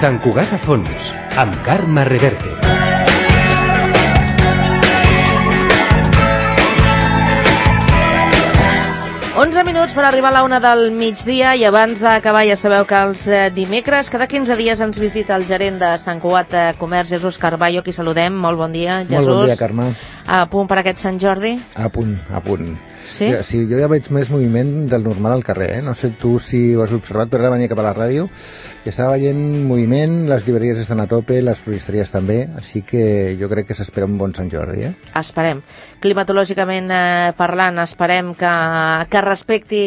Sant Cugat a fons, amb Carme Reverte. Onze minuts per arribar a la una del migdia i abans d'acabar ja sabeu que els dimecres, cada 15 dies ens visita el gerent de Sant Cugat Comerç, Jesús Carballo, qui saludem. Molt bon dia, Jesús. Molt bon dia, Carme. A punt per aquest Sant Jordi? A punt, a punt. Sí? Sí, jo ja veig més moviment del normal al carrer, No sé tu si ho has observat, però ara venia cap a la ràdio i estava veient moviment, les llibreries estan a tope, les floristeries també, així que jo crec que s'espera un bon Sant Jordi, Esperem. Climatològicament parlant, esperem que respecti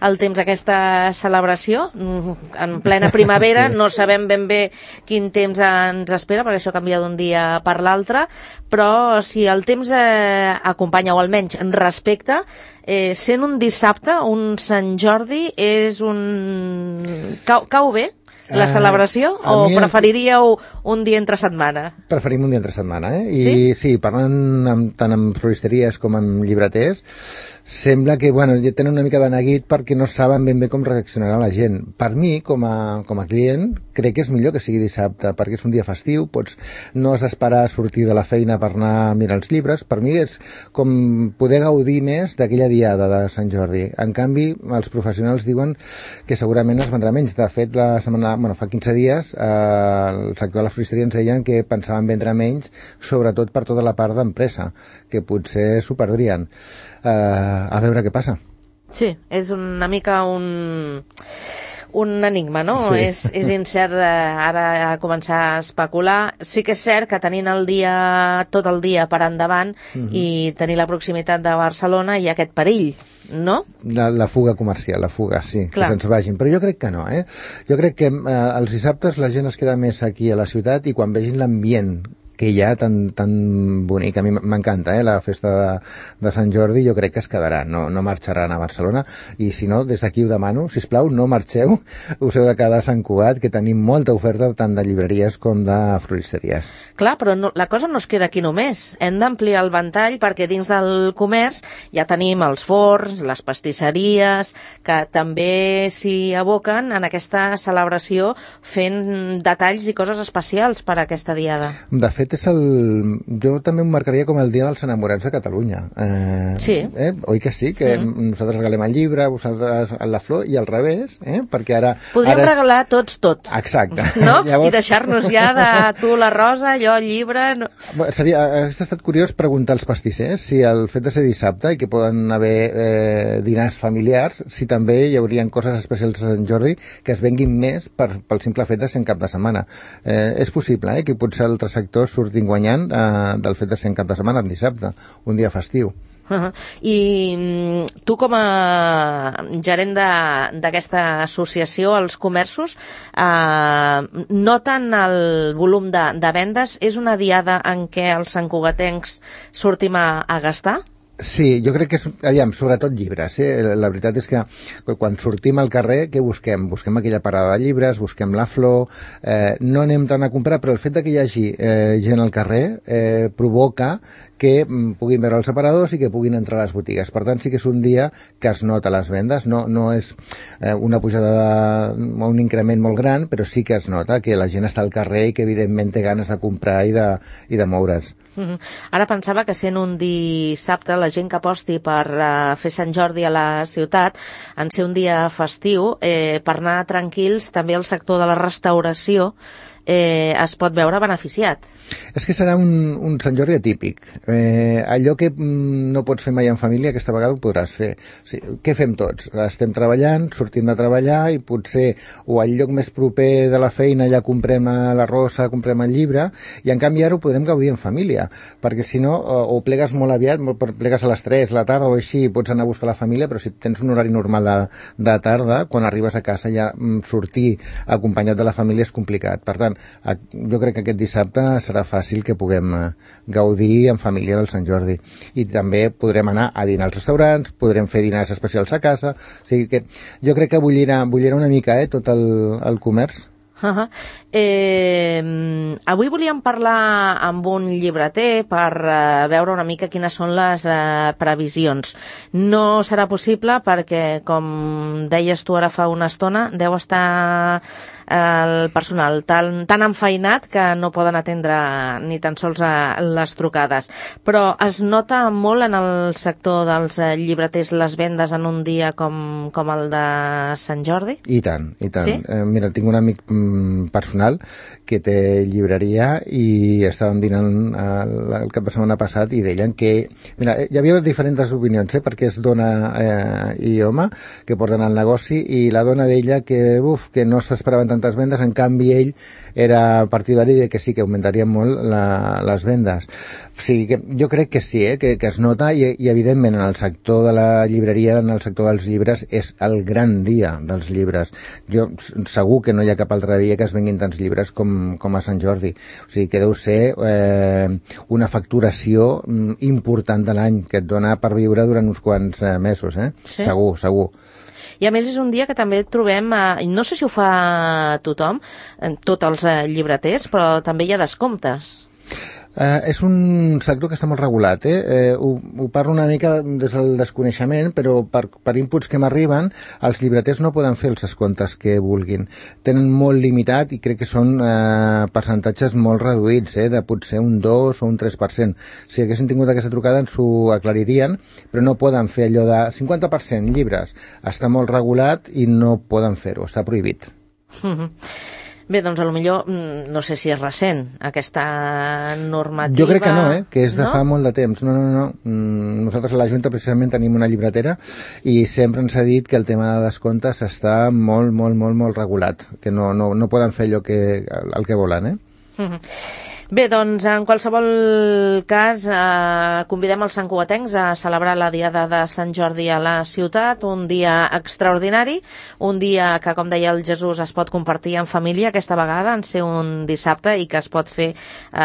el temps aquesta celebració. En plena primavera sí. No sabem ben bé quin temps ens espera, perquè això canvia d'un dia per l'altre, però si el temps acompanya, o almenys respecta, sent un dissabte, un Sant Jordi, és un... Cau bé la celebració o preferiríeu un dia entre setmana? Preferim un dia entre setmana, Sí? I sí, parlant tant amb floristeries com amb llibreters, sembla que, ja tenen una mica de neguit perquè no saben ben bé com reaccionarà la gent. Per mi, com a client, crec que és millor que sigui dissabte, perquè és un dia festiu, no has d'esperar a sortir de la feina per anar a mirar els llibres. Per mi és com poder gaudir més d'aquella diada de Sant Jordi. En canvi, els professionals diuen que segurament es vendrà menys. De fet, fa 15 dies, el sector de la floristeria ens deien que pensaven vendre menys, sobretot per tota la part d'empresa, que potser s'ho perdrien. A veure què passa. Sí, és una mica un enigma, no? Sí. És incert ara començar a especular. Sí que és cert que tenint tot el dia per endavant i tenir la proximitat de Barcelona hi ha aquest perill, no? La fuga comercial, sí, Clar. Que se'ns vagin. Però jo crec que no, Jo crec que els dissabtes la gent es queda més aquí a la ciutat i quan vegin l'ambient que hi ha tan bonic, a mi m'encanta, la festa de Sant Jordi, jo crec que es quedarà, no marxaran a Barcelona, i si no, des d'aquí ho demano, sisplau, no marxeu, us heu de quedar a Sant Cugat, que tenim molta oferta tant de llibreries com de floristeries. Clar, però la cosa no es queda aquí només, hem d'ampliar el ventall perquè dins del comerç ja tenim els forns, les pastisseries, que també s'hi aboquen en aquesta celebració fent detalls i coses especials per a aquesta diada. De fet, jo també ho marcaria com el dia dels enamorats de Catalunya. Sí. Oi que sí? Que nosaltres regalem el llibre, vosaltres la flor, i al revés, perquè ara... Podríem regalar tots tot. Exacte. No? Llavors... I deixar-nos ja de tu la rosa, jo el llibre... No. Hauria estat curiós preguntar als pastissers si el fet de ser dissabte i que poden haver dinars familiars, si també hi haurien coses especials a Sant Jordi que es venguin més pel simple fet de ser en cap de setmana. És possible, que potser altres sectors surtin guanyant del fet de ser en cap de setmana, en dissabte, un dia festiu. I tu com a gerent d'aquesta associació, els comerços, noten el volum de vendes? És una diada en què els santcugatencs sortim a gastar? Sí, jo crec que sobretot llibres. La veritat és que quan sortim al carrer, què busquem? Busquem aquella parada de llibres, busquem la flor, no anem tant a comprar, però el fet que hi hagi gent al carrer provoca que puguin veure els aparadors i que puguin entrar a les botigues. Per tant, sí que és un dia que es nota les vendes, no és una pujada o un increment molt gran, però sí que es nota que la gent està al carrer i que evidentment té ganes de comprar i de moure's. Ara pensava que sent un dissabte la gent que aposti per fer Sant Jordi a la ciutat, en ser un dia festiu, per anar tranquils, també el sector de la restauració es pot veure beneficiat. És que serà un Sant Jordi atípic. Allò que no pots fer mai en família, aquesta vegada ho podràs fer. O sigui, què fem tots? Estem treballant, sortim de treballar i potser o al lloc més proper de la feina ja comprem la rosa, comprem el llibre, i en canvi ara ho podrem gaudir en família, perquè si no, o plegues molt aviat, plegues a les 3 de la tarda o així, pots anar a buscar la família, però si tens un horari normal de tarda, quan arribes a casa ja sortir acompanyat de la família és complicat. Per tant, jo crec que aquest dissabte serà fàcil que puguem gaudir en família del Sant Jordi. I també podrem anar a dinar als restaurants, podrem fer dinars especials a casa, o sigui que jo crec que bullirà una mica tot el comerç. Avui volíem parlar amb un llibreter per veure una mica quines són les previsions. No serà possible perquè, com deies tu ara fa una estona, deu estar el personal tan enfeinat que no poden atendre ni tan sols les trucades. Però es nota molt en el sector dels llibreters les vendes en un dia com el de Sant Jordi? I tant, i tant. Sí? Mira, tinc un amic personal que té llibreria i estàvem dinant el cap de setmana passat i deien que... Mira, hi havia diferents opinions, perquè és dona i home que porten el negoci, i la dona d'ella que no s'esperaven tantes vendes, en canvi ell era partidari de que sí, que augmentarien molt les vendes. O sigui, que jo crec que sí, que es nota, i evidentment en el sector de la llibreria, en el sector dels llibres, és el gran dia dels llibres. Jo segur que no hi ha cap altre dia que es venguin tants llibres com a Sant Jordi. O sigui, que deu ser una facturació important de l'any que et dona per viure durant uns quants mesos, Sí? Segur. I a més és un dia que també trobem, no sé si ho fa tothom, tots els llibreters, però també hi ha descomptes. És un sector que està molt regulat, ho parlo una mica des del desconeixement, però per inputs que m'arriben, els llibreters no poden fer els descomptes que vulguin. Tenen molt limitat i crec que són percentatges molt reduïts, de potser un 2 o un 3%. Si haguessin tingut aquesta trucada ens ho aclaririen, però no poden fer allò de 50% llibres. Està molt regulat i no poden fer-ho, està prohibit. Bé, doncs potser no sé si és recent aquesta normativa. Jo crec que no, que és de fa molt de temps. No. Nosaltres a la Junta precisament tenim una llibretera i sempre ens ha dit que el tema de descomptes està molt regulat, que no poden fer allò el que volen, Bé, doncs, en qualsevol cas, convidem els santcugatencs a celebrar la Diada de Sant Jordi a la ciutat, un dia extraordinari, un dia que, com deia el Jesús, es pot compartir en família aquesta vegada, en ser un dissabte, i que es pot fer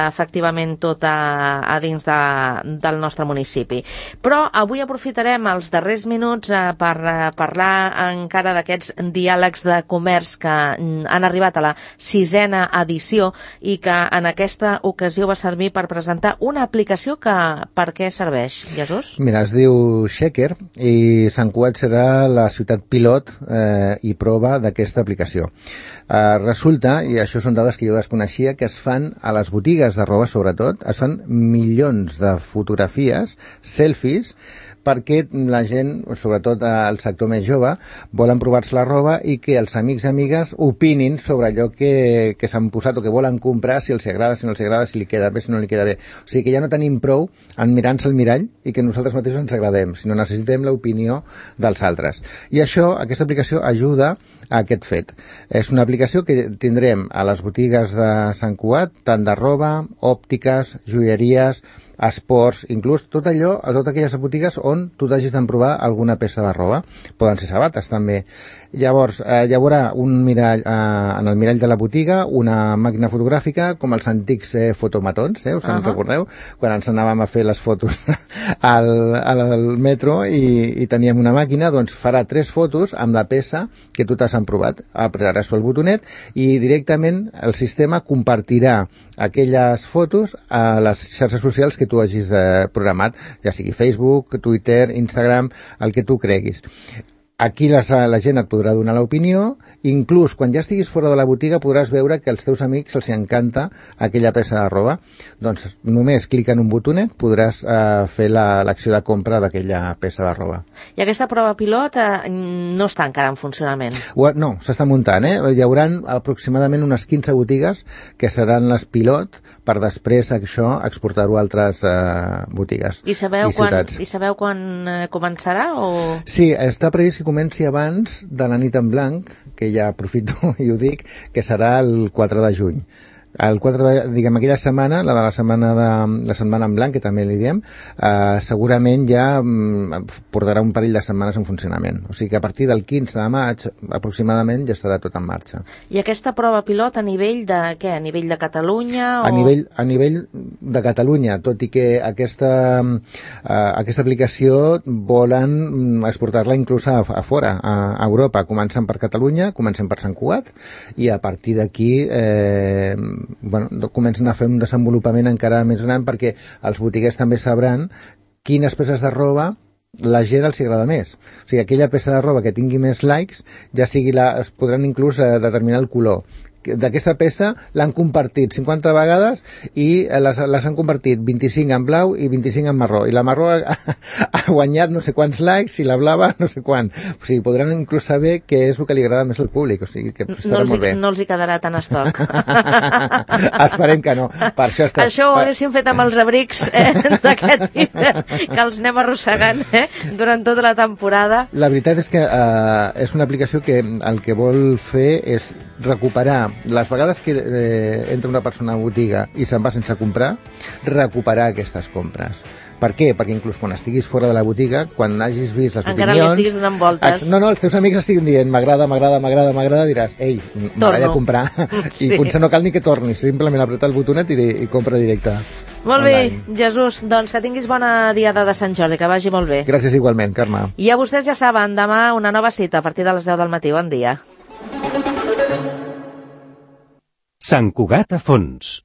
efectivament tot a dins del nostre municipi. Però avui aprofitarem els darrers minuts per parlar encara d'aquests diàlegs de comerç que han arribat a la 6a edició i que en aquesta ocasió va servir per presentar una aplicació que per què serveix, Jesús? Mira, es diu Checker i Sant Cugat serà la ciutat pilot i prova d'aquesta aplicació. Resulta, i això són dades que jo desconeixia, que es fan a les botigues de roba, sobretot, es fan milions de fotografies, selfies, perquè la gent, sobretot el sector més jove, volen provar-se la roba i que els amics i amigues opinin sobre allò que s'han posat o que volen comprar, si els agrada, si no els agrada, si li queda bé, si no li queda bé. O sigui que ja no tenim prou en mirar-nos al mirall i que nosaltres mateixos ens agradem, sinó necessitem l'opinió dels altres. I això, aquesta aplicació ajuda a aquest fet. És una aplicació que tindrem a les botigues de Sant Cugat, tant de roba, òptiques, joieries, esports, inclús tot allò, a totes aquelles botigues on tu t'hagis d'emprovar alguna peça de roba. Poden ser sabates, també. Llavors, hi haurà un mirall, en el mirall de la botiga, una màquina fotogràfica, com els antics fotomatons, us en recordeu? Quan ens anàvem a fer les fotos al metro i teníem una màquina, doncs farà 3 fotos amb la peça que tu t'has emprovat. Apretaràs el botonet i directament el sistema compartirà aquelles fotos a les xarxes socials que tu hagis programat, ja sigui Facebook, Twitter, Instagram, el que tu creguis. Aquí la gent et podrà donar l'opinió, inclús quan ja estiguis fora de la botiga podràs veure que als teus amics els encanta aquella peça de roba. Doncs només clica en un botonet podràs fer l'acció de compra d'aquella peça de roba. I aquesta prova pilot no està encara en funcionament? No, s'està muntant. Hi haurà aproximadament unes 15 botigues que seran les pilot per després això exportar-ho a altres botigues i ciutats. I sabeu quan començarà? Sí, està previst que comenci abans de la nit en blanc, que ja aprofito i ho dic, que serà el 4 de juny. El 4 diguem, aquella setmana, la de la setmana en blanc, que també li diem, segurament ja portarà un parell de setmanes en funcionament. O sigui que a partir del 15 de maig, aproximadament, ja estarà tot en marxa. I aquesta prova pilot a nivell de què? A nivell de Catalunya? A nivell de Catalunya, tot i que aquesta aplicació volen exportar-la inclús a fora, a Europa. Comencen per Catalunya, comencen per Sant Cugat, i a partir d'aquí comencen a fer un desenvolupament encara més gran, perquè els botiguers també sabran quines peces de roba la gent els agrada més. O sigui, aquella peça de roba que tingui més likes, ja sigui es podran inclús determinar el color. D'aquesta peça l'han compartit 50 vegades i les han convertit 25 en blau i 25 en marró, i la marró ha guanyat no sé quants likes i la blava no sé quant. O sigui, podran inclús saber què és el que li agrada més al públic. O sigui, que estarà molt bé. No els hi quedarà tan estoc. Esperem que no. Per això ho haguéssim fet amb els abrics d'aquest hivern, que els anem arrossegant durant tota la temporada. La veritat és que és una aplicació que el que vol fer és recuperar les vegades que entra una persona a botiga i se'n va sense comprar, recuperar aquestes compres. Per què? Perquè inclús quan estiguis fora de la botiga, quan hagis vist les encara opinions... Encara li estiguis donant voltes. No, els teus amics estiguin dient m'agrada, diràs, ei, m'agrada comprar. Sí. I potser no cal ni que tornis, simplement apretar el botonet i compra directe. Molt bé, Jesús, doncs que tinguis bona diada de Sant Jordi, que vagi molt bé. Gràcies igualment, Carme. I a vostès ja saben, demà una nova cita a partir de les 10 del matí. Bon dia. Sant Cugat a fons.